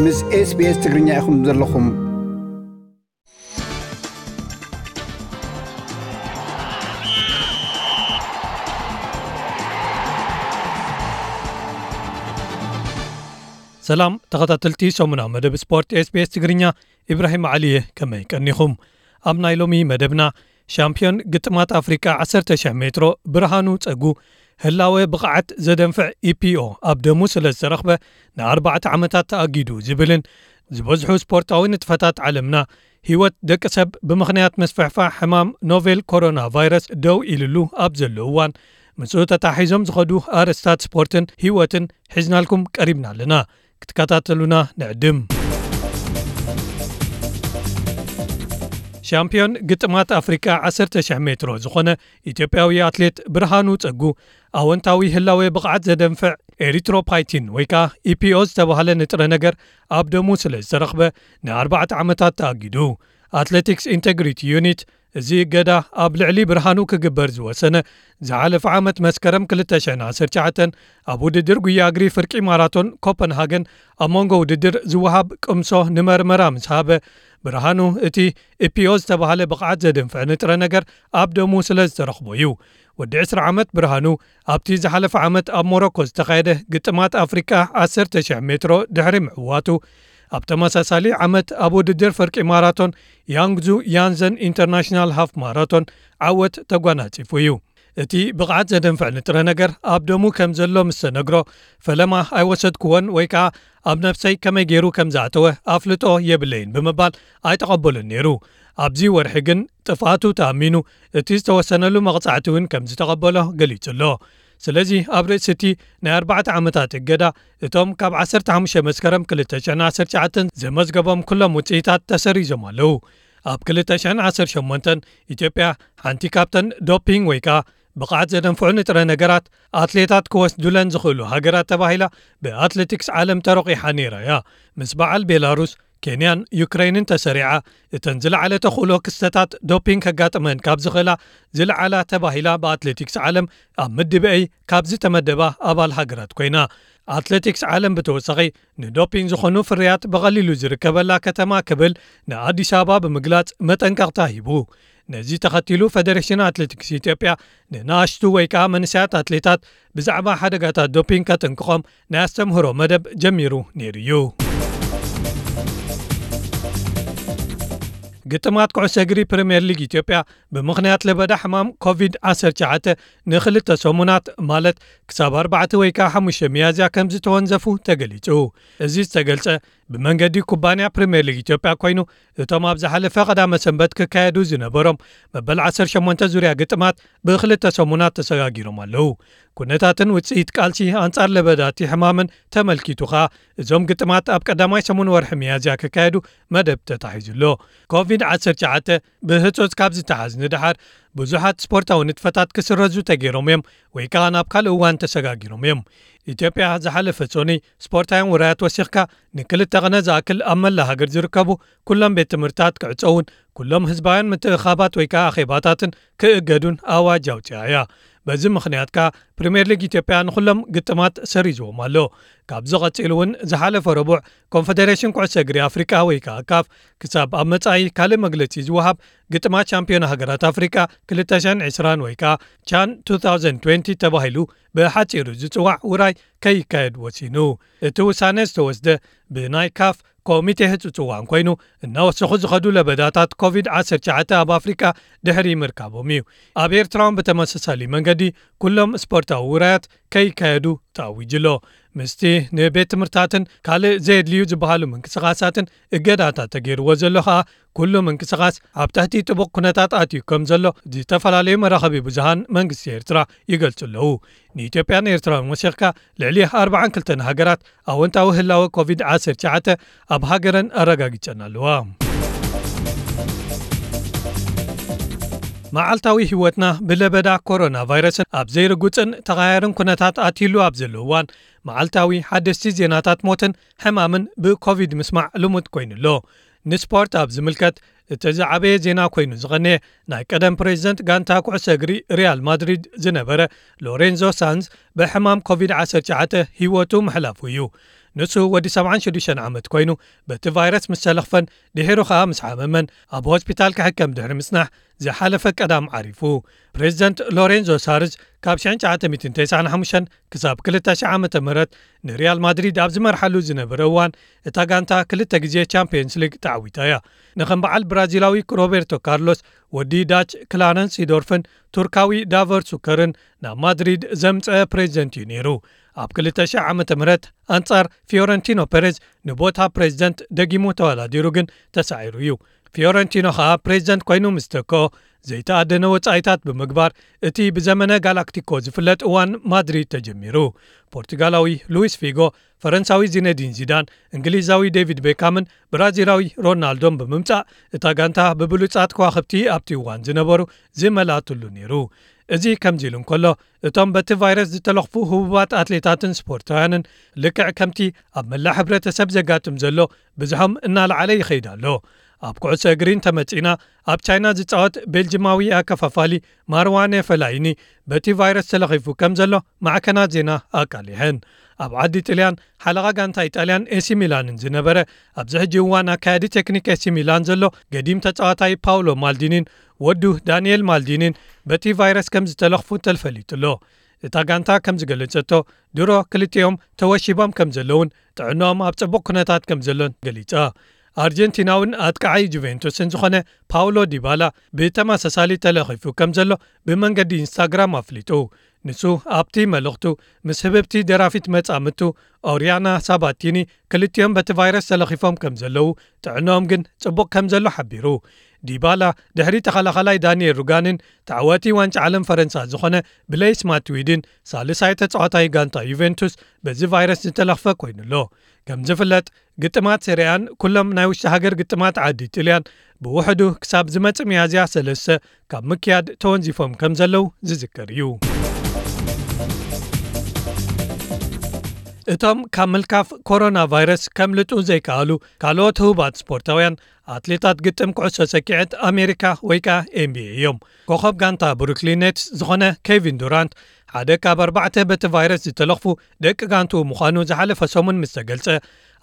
ምስ SBS ትግርኛ ኢኹም ዘለኹም። ሰላም ተኸታተልቲ ሰሙና መደብ ስፖርት SBS ትግርኛ፣ ኢብራሂም ዓሊ እየ። ከመይ ቀኒኹም? ኣብ ናይ ሎሚ መደብና፣ ሻምፒዮን ግጥማት ኣፍሪቃ ዓሰርተ ሺሕ ሜትሮ ብርሃኑ ጸጉ፣ ህላወ ብቕዓት ዘደንፍዕ ኢፒኦ ኣብ ደሙ ስለ ዝተረኽበ፣ ንኣርባዕተ ዓመታት ተኣጊዱ ዝብልን፣ ዝበዝሑ ስፖርታዊ ንጥፈታት ዓለምና፣ ህይወት ደቂ ሰብ ብምኽንያት ምስፍሕፋሕ ሕማም ኖቬል ኮሮና ቫይረስ ደው ኢልሉ ኣብ ዘሎ እዋን፣ ምስኡ ተታሒዞም ዝኸዱ ኣርእስታት ስፖርትን ህይወትን ሒዝናልኩም ቀሪብና ኣለና። ክትከታተሉና ንዕድም። ሻምፒዮን ግጥማት ኣፍሪቃ ዓሰርተ ሺሕ ሜትሮ ዝኾነ ኢትዮጵያዊ ኣትሌት ብርሃኑ ጸጉ፣ ኣወንታዊ ህላዌ ብቕዓት ዘደንፍዕ ኤሪትሮፓይቲን ወይ ከኣ ኢፒኦ ዝተባህለ ንጥረ ነገር ኣብ ደሙ ስለ ዝተረኽበ፣ ንኣርባዕተ ዓመታት ተኣጊዱ። ኣትሌቲክስ ኢንተግሪቲ ዩኒት፣ እዚ እገዳ ኣብ ልዕሊ ብርሃኑ ክግበር ዝወሰነ፣ ዝሓለፈ ዓመት መስከረም ክልተ ሽሕን ዓሰርተ ትሽዓተን ኣብ ውድድር ጉያ እግሪ ፍርቂ ማራቶን ኮፐንሃገን ኣብ መንጎ ውድድር ዝወሃብ ቅምሶ ንመርመራ ምስ ሃበ፣ ብርሃኑ እቲ ኢፒኦ ዝተባህለ ብቕዓት ዘደንፍዕ ንጥረ ነገር ኣብ ደሙ ስለ ዝተረኽቦ እዩ። ወዲ ዕስራ ዓመት ብርሃኑ፣ ኣብቲ ዝሓለፈ ዓመት ኣብ ሞሮኮ ዝተኻየደ ግጥማት ኣፍሪቃ ዓሰርተ ሺሕ ሜትሮ ድሕሪ ምዕዋቱ፣ ኣብ ተመሳሳሊ ዓመት ኣብ ውድድር ፍርቂ ማራቶን ያንግዙ ያንዘን ኢንተርናሽናል ሃፍ ማራቶን ዓወት ተጓናጺፉ እዩ። እቲ ብቕዓት ዘደንፍዕ ንጥረ ነገር ኣብ ደሙ ከም ዘሎ ምስ ተነግሮ፣ ፈለማ ኣይወሰድክዎን ወይ ከኣ ኣብ ነብሰይ ከመይ ገይሩ ከም ዝኣተወ ኣፍልጦ የብለይን ብምባል ኣይተቐበሎን ነይሩ። ኣብዚ ወርሒ ግን ጥፍኣቱ ተኣሚኑ፣ እቲ ዝተወሰነሉ መቕጻዕቲ እውን ከም ዝተቐበሎ ገሊጹ ኣሎ። ስለዚ ኣብ ርእሲ እቲ ናይ ኣርባዕተ ዓመታት እገዳ፣ እቶም ካብ ዓሰርተ ሓሙሽተ መስከረም ክልተ ሽሕን ዓሰርተ ትሽዓተን ዘመዝገቦም ኩሎም ውጽኢታት ተሰሪዞም ኣለዉ። ኣብ ክልተ ሽሕን ዓሰርተ ሸሞንተን ኢትዮጵያ ሓንቲ ካብተን ዶፒንግ ወይ ከኣ ብቕዓት ዘደንፍዑ ንጥረ ነገራት ኣትሌታት ክወስዱለን ዝኽእሉ ሃገራት ተባሂላ ብኣትሌቲክስ ዓለም ተሮቒሓ ነይራ እያ። ምስ በዓል ቤላሩስ፣ ኬንያን ዩክረይንን ተሰሪዓ፣ እተን ዝለዓለ ተኽእሎ ክስተታት ዶፒንግ ከጋጥመን ካብ ዝኽእላ ዝለዓላ ተባሂላ ብኣትሌቲክስ ዓለም ኣብ ምድብ ኤ ካብ ዝተመደባ ኣባል ሃገራት ኮይና። ኣትሌቲክስ ዓለም ብተወሳኺ ንዶፒንግ ዝኾኑ ፍርያት ብቐሊሉ ዝርከበላ ከተማ ክብል ንኣዲስ ኣበባ ብምግላጽ መጠንቀቕታ ሂቡ። ነዚ ተኸቲሉ ፌደሬሽን ኣትሌቲክስ ኢትዮጵያ ንንኣሽቱ ወይ ከኣ መንእሰያት ኣትሌታት ብዛዕባ ሓደጋታት ዶፒንግ ከጥንቅቖም ናይ ኣስተምህሮ መደብ ጀሚሩ ነይሩ እዩ። ግጥማት ኩዕሶ እግሪ ፕሪምየር ሊግ ኢትዮጵያ ብምኽንያት ለበዳ ሕማም ኮቪድ ዓሰርተ ትሽዓተ ንኽልተ ሰሙናት፣ ማለት ክሳብ ኣርባዕተ ወይ ከኣ ሓሙሽተ ሚያዝያ ከም ዝተወንዘፉ ተገሊጹ። እዚ ዝተገልጸ ብመንገዲ ኩባንያ ፕሪምየር ሊግ ኢትዮጵያ ኮይኑ፣ እቶም ኣብ ዝሓለፈ ቀዳመ ሰንበት ክካየዱ ዝነበሮም መበል ዓሰርተ ሸሞንተ ዙርያ ግጥማት ብኽልተ ሰሙናት ተሰጋጊሮም ኣለዉ። ኩነታትን ውጽኢት ቃልሲ ኣንጻር ለበዳቲ ሕማምን ተመልኪቱ ኸኣ፣ እዞም ግጥማት ኣብ ቀዳማይ ሰሙን ወርሒ ሚያዝያ ክካየዱ መደብ ተታሒዙ ኣሎ። ኮቪድ ዓሰርተ ትሽዓተ ብህጹጽ ካብ ዝተሓዝ ንደሓር፣ ብዙሓት ስፖርታዊ ንጥፈታት ክስረዙ ተገይሮም እዮም ወይ ከኣ ናብ ካልእ እዋን ተሰጋጊሮም እዮም። ኢትዮጵያ ዝሓለፈ ሶኒ ስፖርታውያን ውራያት ወሲኽካ ንክልተ ቕነ ዝኣክል ኣብ መላ ሃገር ዝርከቡ ኩሎም ቤት ትምህርትታት ክዕጸውን ኩሎም ህዝባውያን ምትእኻባት ወይ ከኣ ኣኼባታትን ክእገዱን ኣዋጅ ኣውጺኣ እያ። በዚ ምኽንያት ከኣ ፕሪምየር ሊግ ኢትዮጵያ ንኹሎም ግጥማት ሰሪዝዎም ኣሎ። ካብዚ ቐጺሉ እውን ዝሓለፈ ረቡዕ ኮንፈደሬሽን ኩዕሶ እግሪ ኣፍሪቃ ወይ ከኣ ካፍ ክሳብ ኣብ መጻኢ ካልእ መግለጺ ዝወሃብ ግጥማት ሻምፒዮን ሃገራት ኣፍሪቃ ክልተ ሽሕን ዕስራን ወይ ከኣ ቻን ቱ ታውዘንድ ትዌንቲ ተባሂሉ ብሓጺሩ ዝጽዋዕ ውራይ ከይካየድ ወሲኑ። እቲ ውሳነ ዝተወስደ ብናይ ካፍ ኮሚቴ ህጹጽ እዋን ኮይኑ፣ እናወሰኹ ዝኸዱ ለበዳታት ኮቪድ ዓሰርተ ትሽዓተ ኣብ ኣፍሪቃ ድሕሪ ምርካቦም እዩ። ኣብ ኤርትራ እውን ብተመሳሳሊ መንገዲ ኩሎም ስፖርታዊ ውራያት ከይካየዱ ተኣዊጁ ኣሎ። ምስቲ ንቤት ትምህርትታትን ካልእ ዘየድልዩ ዝበሃሉ ምንቅስቓሳትን እገዳታት ተገይርዎ ዘሎ ኸኣ፣ ኩሉ ምንቅስቓስ ኣብ ትሕቲ ጥቡቕ ኩነታት ኣትዩ ከም ዘሎ ዝተፈላለዩ መራኸቢ ብዙሃን መንግስቲ ኤርትራ ይገልጹ ኣለዉ። ንኢትዮጵያን ኤርትራን ወሲኽካ ልዕሊ ኣርባዓን ክልተን ሃገራት ኣወንታዊ ህላወ ኮቪድ ዓሰርተ ትሽዓተ ኣብ ሃገረን ኣረጋጊጸን ኣለዋ። መዓልታዊ ህይወትና ብለበዳ ኮሮና ቫይረስን ኣብ ዘይርጉጽን ተቐያርን ኩነታት ኣትይሉ ኣብ ዘሎ እዋን፣ መዓልታዊ ሓደስቲ ዜናታት ሞትን ሕማምን ብኮቪድ ምስማዕ ልሙድ ኮይኑ ኣሎ። ንስፖርት ኣብ ዝምልከት፣ እቲ ዝዓበየ ዜና ኮይኑ ዝቐነየ፣ ናይ ቀደም ፕሬዚደንት ጋንታ ኩዕሶ እግሪ ሪያል ማድሪድ ዝነበረ ሎሬንዞ ሳንዝ ብሕማም ኮቪድ ዓሰርተ ትሽዓተ ህይወቱ ምሕላፉ እዩ። ንሱ ወዲ ሰብዓን ሽዱሽተን ዓመት ኮይኑ፣ በቲ ቫይረስ ምስ ተለኽፈን ድሒሩ ኸኣ ምስ ሓመመን ኣብ ሆስፒታል ክሕከም ድሕሪ ምጽናሕ ዝሓለፈ ቀዳም ዓሪፉ። ፕሬዚደንት ሎሬንዞ ሳርዝ ካብ ሽሕን ትሽዓተ ሚእትን ተስዓን ሓሙሽተን ክሳብ ክልተ ሽሕ ዓመተ ምህረት ንሪያል ማድሪድ ኣብ ዝመርሓሉ ዝነበረ እዋን፣ እታ ጋንታ ክልተ ግዜ ቻምፒየንስ ሊግ ተዓዊታ እያ። ንከም በዓል ብራዚላዊ ሮቤርቶ ካርሎስ፣ ወዲ ዳች ክላረንስ ሲዶርፍን ቱርካዊ ዳቨር ሱከርን ናብ ማድሪድ ዘምጸ ፕሬዚደንት እዩ ነይሩ። ኣብ ክልተ ሽሕ ዓመተ ምህረት ኣንጻር ፊዮረንቲኖ ፔሬዝ ንቦታ ፕሬዚደንት ደጊሙ ተወዳዲሩ ግን ተሳዒሩ እዩ። ፊዮረንቲኖ ኸኣ ፕሬዚደንት ኮይኑ ምስ ተክኦ፣ ዘይተኣደነ ወጻኢታት ብምግባር እቲ ብዘመነ ጋላክቲኮ ዝፍለጥ እዋን ማድሪድ ተጀሚሩ። ፖርቱጋላዊ ሉዊስ ፊጎ፣ ፈረንሳዊ ዚነዲን ዚዳን፣ እንግሊዛዊ ዴቪድ ቤካምን ብራዚላዊ ሮናልዶን ብምምጻእ፣ እታ ጋንታ ብብሉጻት ከዋኽብቲ ኣብቲ እዋን ዝነበሩ ዝመልኣትሉ ነይሩ። እዚ ከምዚ ኢሉ እንከሎ፣ እቶም በቲ ቫይረስ ዝተለኽፉ ህቡባት ኣትሌታትን ስፖርታውያንን፣ ልክዕ ከምቲ ኣብ መላእ ሕብረተሰብ ዘጋጥም ዘሎ፣ ብዝሖም እናለዓለ ይኸይድ ኣሎ። ኣብ ኩዕሶ እግሪ እንተመጺእና፣ ኣብ ቻይና ዝጻወት ቤልጅማዊ ኣከፋፋሊ ማርዋነ ፈላይኒ በቲ ቫይረስ ተለኺፉ ከም ዘሎ ማዕከናት ዜና ኣቃሊሐን። ኣብ ዓዲ ጥልያን ሓለቓ ጋንታ ኢጣልያን ኤሲ ሚላንን ዝነበረ፣ ኣብዚ ሕጂ እዋን ኣካያዲ ቴክኒክ ኤሲ ሚላን ዘሎ ገዲም ተጻዋታይ ፓውሎ ማልዲኒን ወዱ ዳንኤል ማልዲኒን በቲ ቫይረስ ከም ዝተለኽፉ ተልፈሊጡ ኣሎ። እታ ጋንታ ከም ዝገለጸቶ፣ ድሮ ክልቲኦም ተወሺቦም ከም ዘለውን ጥዕናኦም ኣብ ጽቡቕ ኩነታት ከም ዘሎን ገሊጻ። ኣርጀንቲናውን ኣጥቃዓይ ጁቬንቱስን ዝኾነ ፓውሎ ዲባላ ብተመሳሳሊ ተለኺፉ ከም ዘሎ ብመንገዲ ኢንስታግራም ኣፍሊጡ። ንሱ ኣብቲ መልእኽቱ፣ ምስ ህብብቲ ደራፊት መጻምቱ ኦሪያና ሳባቲኒ ክልቲኦም በቲ ቫይረስ ተለኺፎም ከም ዘለዉ፣ ጥዕናኦም ግን ጽቡቕ ከም ዘሎ ሓቢሩ። ዲባላ ድሕሪ ተኸላኻላይ ዳንኤል ሩጋንን ተዓዋቲ ዋንጫ ዓለም ፈረንሳ ዝኾነ ብሌይስ ማትዊድን ሳልሳይ ተጻዋታይ ጋንታ ዩቬንቱስ በዚ ቫይረስ ዝተለኽፈ ኮይኑ ኣሎ። ከም ዝፍለጥ፣ ግጥማት ሴሪኣን ኩሎም ናይ ውሽጢ ሃገር ግጥማት ዓዲ ጥልያን ብውሕዱ ክሳብ ዝመጽእ ሚያዝያ ሰለስተ ካብ ምክያድ ተወንዚፎም ከም ዘለዉ ዝዝከር እዩ። እቶም ካብ ምልካፍ ኮሮና ቫይረስ ከምልጡ ዘይከኣሉ ካልኦት ህቡባት ስፖርታውያን፣ ኣትሌታት ግጥም ኩዕሶ ሰኪዐት ኣሜሪካ ወይ ከኣ ኤን ቢ ኤ እዮም። ኮኸብ ጋንታ ብሩክሊን ኔትስ ዝኾነ ኬቪን ዱራንት፣ ሓደ ካብ ኣርባዕተ በቲ ቫይረስ ዝተለኽፉ ደቂ ጋንትኡ ምዃኑ ዝሓለፈ ሰሙን ምስ ተገልጸ፣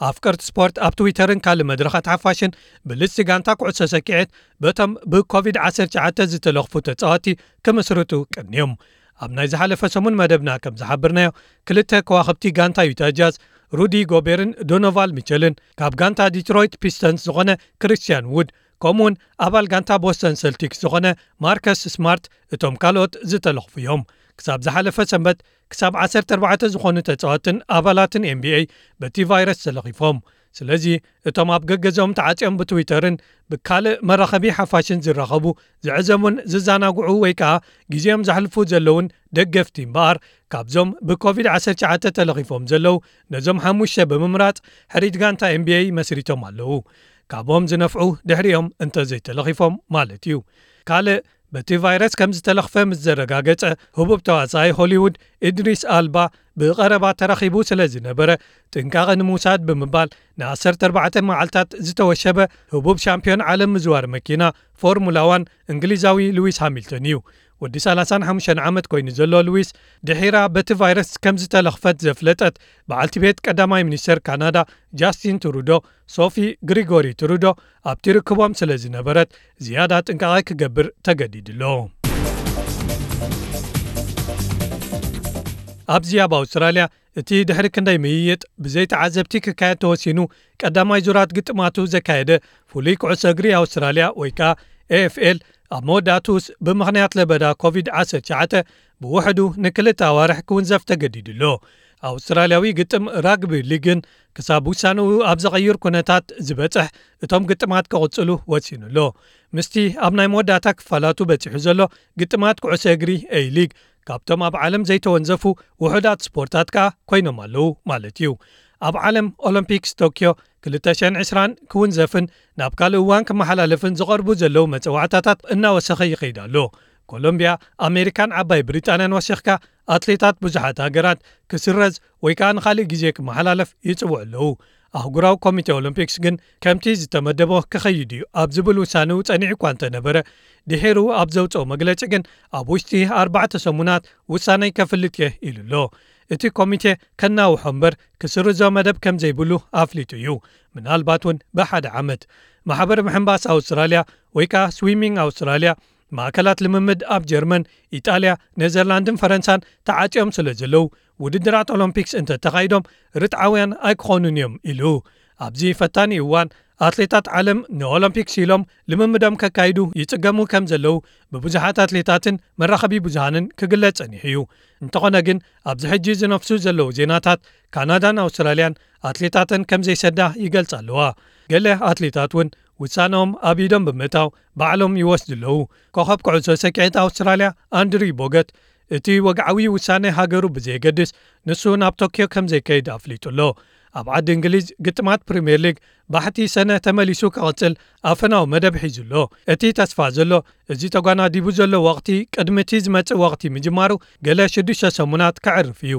ኣፍቀርቲ ስፖርት ኣብ ትዊተርን ካልእ መድረኻት ሓፋሽን ብልጽቲ ጋንታ ኩዕሶ ሰኪዐት በቶም ብኮቪድ ዓሰርተ ትሽዓተ ዝተለኽፉ ተጻወትቲ ክምስርቱ ቀንዮም። ኣብ ናይ ዝሓለፈ ሰሙን መደብና ከም ዝሓበርናዮ፣ ክልተ ከዋኽብቲ ጋንታ ዩታ ጃዝ፣ ሩዲ ጎቤርን ዶኖቫል ሚቸልን፣ ካብ ጋንታ ዲትሮይት ፒስተንስ ዝኾነ ክሪስቲያን ውድ፣ ከምኡውን ኣባል ጋንታ ቦስተን ሰልቲክስ ዝኾነ ማርከስ ስማርት እቶም ካልኦት ዝተለኽፉ እዮም። ክሳብ ዝሓለፈ ሰንበት፣ ክሳብ ዓሰርተ ኣርባዕተ ዝኾኑ ተጻወትን ኣባላትን ኤን ቢ ኤ በቲ ቫይረስ ተለኺፎም። ስለዚ፣ እቶም ኣብ ገገዝኦም ተዓጽዮም ብትዊተርን ብካልእ መራኸቢ ሓፋሽን ዝራኸቡ፣ ዝዕዘሙን ዝዘናግዑ ወይ ከኣ ግዜኦም ዘሕልፉ ዘለውን ደገፍቲ እምበኣር፣ ካብዞም ብኮቪድ ዓሰርተ ትሽዓተ ተለኺፎም ዘለዉ፣ ነዞም ሓሙሽተ ብምምራጽ፣ ሕሪት ጋንታ ኤን ቢ ኤ መስሪቶም ኣለዉ። ካብኦም ዝነፍዑ ድሕሪኦም እንተ ዘይተለኺፎም ማለት እዩ። ካልእ በቲ ቫይረስ ከም ዝተለኽፈ ምስ ዘረጋገጸ ህቡብ ተዋሳኣይ ሆሊውድ ኢድሪስ ኣልባ ብቐረባ ተራኺቡ ስለ ዝነበረ፣ ጥንቃቐ ንምውሳድ ብምባል ንዓሰርተ ኣርባዕተ መዓልታት ዝተወሸበ ህቡብ ሻምፒዮን ዓለም ምዝዋር መኪና ፎርሙላ ዋን እንግሊዛዊ ሉዊስ ሃሚልተን እዩ። ወዲ ሰላሳን ሓሙሽተን ዓመት ኮይኑ ዘሎ ሉዊስ፣ ድሒራ በቲ ቫይረስ ከም ዝተለኽፈት ዘፍለጠት በዓልቲ ቤት ቀዳማይ ሚኒስተር ካናዳ ጃስቲን ትሩዶ፣ ሶፊ ግሪጎሪ ትሩዶ፣ ኣብቲ ርክቦም ስለ ዝነበረት ዝያዳ ጥንቃቐ ክገብር ተገዲዱ ኣሎ። ኣብዚ ኣብ ኣውስትራልያ እቲ ድሕሪ ክንደይ ምይይጥ ብዘይ ተዓዘብቲ ክካየድ ተወሲኑ ቀዳማይ ዙራት ግጥማቱ ዘካየደ ፍሉይ ኩዕሶ እግሪ ኣውስትራልያ ወይ ከኣ ኤ ኤፍ ኤል ኣብ መወዳእቱስ ብምኽንያት ለበዳ ኮቪድ ዓሰርተ ትሽዓተ ብውሕዱ ንክልተ ኣዋርሕ ክውንዘፍ ተገዲዱ ኣሎ። ኣውስትራልያዊ ግጥም ራግቢ ሊግን ክሳብ ውሳንኡ ኣብ ዘቐይር ኩነታት ዝበጽሕ እቶም ግጥማት ክቕጽሉ ወሲኑ ኣሎ። ምስቲ ኣብ ናይ መወዳእታ ክፋላቱ በጺሑ ዘሎ ግጥማት ኩዕሶ እግሪ ኤይ ሊግ ካብቶም ኣብ ዓለም ዘይተወንዘፉ ውሑዳት ስፖርታት ከኣ ኮይኖም ኣለዉ ማለት እዩ። ኣብ ዓለም ኦሎምፒክስ ቶክዮ ክልተ ሽሕን ዕስራን ክውንዘፍን ናብ ካልእ እዋን ክመሓላለፍን ዝቐርቡ ዘለዉ መጸዋዕታታት እናወሰኸ ይኸይድ ኣሎ። ኮሎምብያ፣ ኣሜሪካን ዓባይ ብሪጣንያን ወሲኽካ ኣትሌታት ብዙሓት ሃገራት ክስረዝ ወይ ከኣ ንኻልእ ግዜ ክመሓላለፍ ይጽውዑ ኣለዉ። ኣህጉራዊ ኮሚቴ ኦሎምፒክስ ግን ከምቲ ዝተመደቦ ክኸይድ እዩ ኣብ ዝብል ውሳኔኡ ጸኒዑ እኳ እንተነበረ፣ ድሒሩ ኣብ ዘውጽኦ መግለጺ ግን ኣብ ውሽጢ ኣርባዕተ ሰሙናት ውሳኔ ከፍልጥ እየ ኢሉ ኣሎ። እቲ ኮሚቴ ከናውሖ እምበር ክስርዞ መደብ ከም ዘይብሉ ኣፍሊጡ እዩ። ምናልባት እውን ብሓደ ዓመት። ማሕበር ምሕንባስ ኣውስትራልያ ወይ ከኣ ስዊሚንግ ኣውስትራልያ፣ ማእከላት ልምምድ ኣብ ጀርመን፣ ኢጣልያ፣ ኔዘርላንድን ፈረንሳን ተዓጽዮም ስለ ዘለዉ፣ ውድድራት ኦሎምፒክስ እንተተኻይዶም ርትዓውያን ኣይክኾኑን እዮም ኢሉ። ኣብዚ ፈታኒ እዋን ኣትሌታት ዓለም ንኦሎምፒክስ ኢሎም ልምምዶም ከካይዱ ይጽገሙ ከም ዘለዉ ብብዙሓት ኣትሌታትን መራኸቢ ብዙሃንን ክግለጽ ጸኒሑ እዩ። እንተኾነ ግን ኣብዚ ሕጂ ዝነፍሱ ዘለዉ ዜናታት ካናዳን ኣውስትራልያን ኣትሌታተን ከም ዘይሰዳ ይገልጻ ኣለዋ። ገለ ኣትሌታት እውን ውሳነኦም ኣብ ኢዶም ብምእታው ባዕሎም ይወስዱ ኣለዉ። ኮኸብ ኩዕሶ ሰኪዔት ኣውስትራልያ ኣንድሪ ቦገት እቲ ወግዓዊ ውሳነ ሃገሩ ብዘየገድስ ንሱ ናብ ቶክዮ ከም ዘይከይድ ኣፍሊጡ ኣሎ። ኣብ ዓዲ እንግሊዝ ግጥማት ፕሪምየር ሊግ ባሕቲ ሰነ ተመሊሱ ክቕጽል ኣፈናዊ መደብ ሒዙ ኣሎ። እቲ ተስፋ ዘሎ እዚ ተጓናዲቡ ዘሎ ወቕቲ ቅድሚ እቲ ዝመጽእ ወቕቲ ምጅማሩ ገለ ሽዱሽተ ሰሙናት ከዕርፍ እዩ።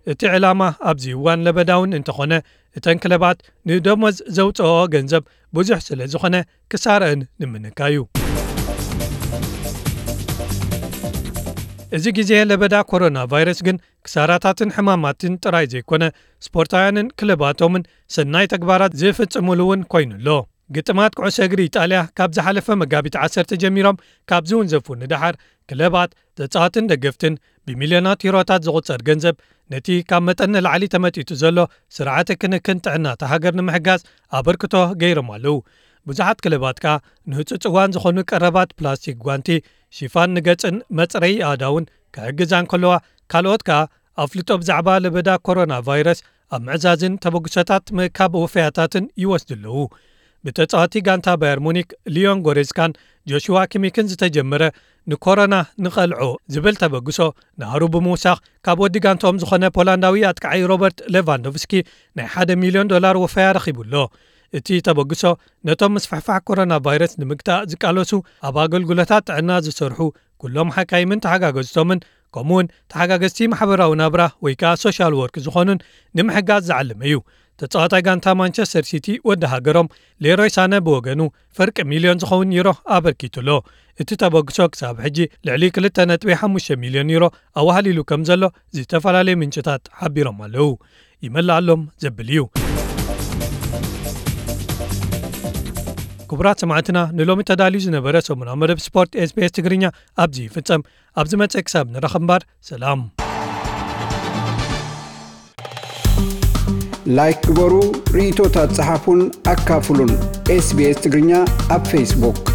እቲ ዕላማ ኣብዚ እዋን ለበዳውን እንተኾነ እተን ክለባት ንደሞዝ ዘውፅኦ ገንዘብ ብዙሕ ስለ ዝኾነ ክሳረአን ንምንካዩ። እዚ ግዜ ለበዳ ኮሮና ቫይረስ ግን ክሳራታትን ሕማማትን ጥራይ ዘይኮነ ስፖርታውያንን ክለባቶምን ሰናይ ተግባራት ዝፍጽሙሉ እውን ኮይኑ ኣሎ። ግጥማት ኩዕሶ እግሪ ኢጣልያ ካብ ዝሓለፈ መጋቢት ዓሰርተ ጀሚሮም ካብ ዝውንዘፉ ንደሓር ክለባት ተጻዋትን ደገፍትን ብሚልዮናት ዩሮታት ዝቑጸር ገንዘብ ነቲ ካብ መጠን ንላዕሊ ተመጢጡ ዘሎ ስርዓተ ክንክን ጥዕና እታ ሃገር ንምሕጋዝ ኣበርክቶ ገይሮም ኣለዉ። ብዙሓት ክለባት ከኣ ንህጹጽ እዋን ዝኾኑ ቀረባት ፕላስቲክ ጓንቲ፣ ሽፋን ንገጽን መጽረዪ ኣእዳውን ክሕግዛ እንከለዋ፣ ካልኦት ከኣ ኣፍልጦ ብዛዕባ ለበዳ ኮሮና ቫይረስ ኣብ ምዕዛዝን ተበግሶታት ምእካብ ወፈያታትን ይወስዱ ኣለዉ። ብተጻዋቲ ጋንታ ባየር ሙኒክ ሊዮን ጎሬዝካን ጆሽዋ ኪሚክን ዝተጀመረ ንኮሮና ንቐልዖ ዝብል ተበግሶ ናህሩ ብምውሳኽ ካብ ወዲ ጋንታኦም ዝኾነ ፖላንዳዊ ኣጥቃዓይ ሮበርት ሌቫንዶቭስኪ ናይ ሓደ ሚልዮን ዶላር ወፈያ ረኺቡ ኣሎ። እቲ ተበግሶ ነቶም ምስፍሕፋሕ ኮሮና ቫይረስ ንምግታእ ዝቃለሱ ኣብ ኣገልግሎታት ጥዕና ዝሰርሑ ኩሎም ሓካይምን ተሓጋገዝቶምን ከምኡውን ተሓጋገዝቲ ማሕበራዊ ናብራ ወይ ከኣ ሶሻል ወርክ ዝኾኑን ንምሕጋዝ ዝዓለመ እዩ። ተጻዋታይ ጋንታ ማንቸስተር ሲቲ ወዲ ሃገሮም ሌሮይ ሳነ ብወገኑ ፍርቂ ሚልዮን ዝኸውን ዩሮ ኣበርኪቱ ኣሎ። እቲ ተበግሶ ክሳብ ሕጂ ልዕሊ ክልተ ነጥቢ ሓሙሽተ ሚልዮን ዩሮ ኣዋህሊሉ ከም ዘሎ ዝተፈላለዩ ምንጭታት ሓቢሮም ኣለዉ። ይመልኣሎም ዘብል እዩ። ክቡራት ሰማዕትና ንሎሚ ተዳልዩ ዝነበረ ሰሙናዊ መደብ ስፖርት ኤስቢኤስ ትግርኛ ኣብዚ ይፍጸም። ኣብ ዝመጸ ክሳብ ንራኸብ እምበር ሰላም። ላይክ ግበሩ፣ ርእይቶታት ጸሓፉን ኣካፍሉን። ኤስቢኤስ ትግርኛ ኣብ ፌስቡክ።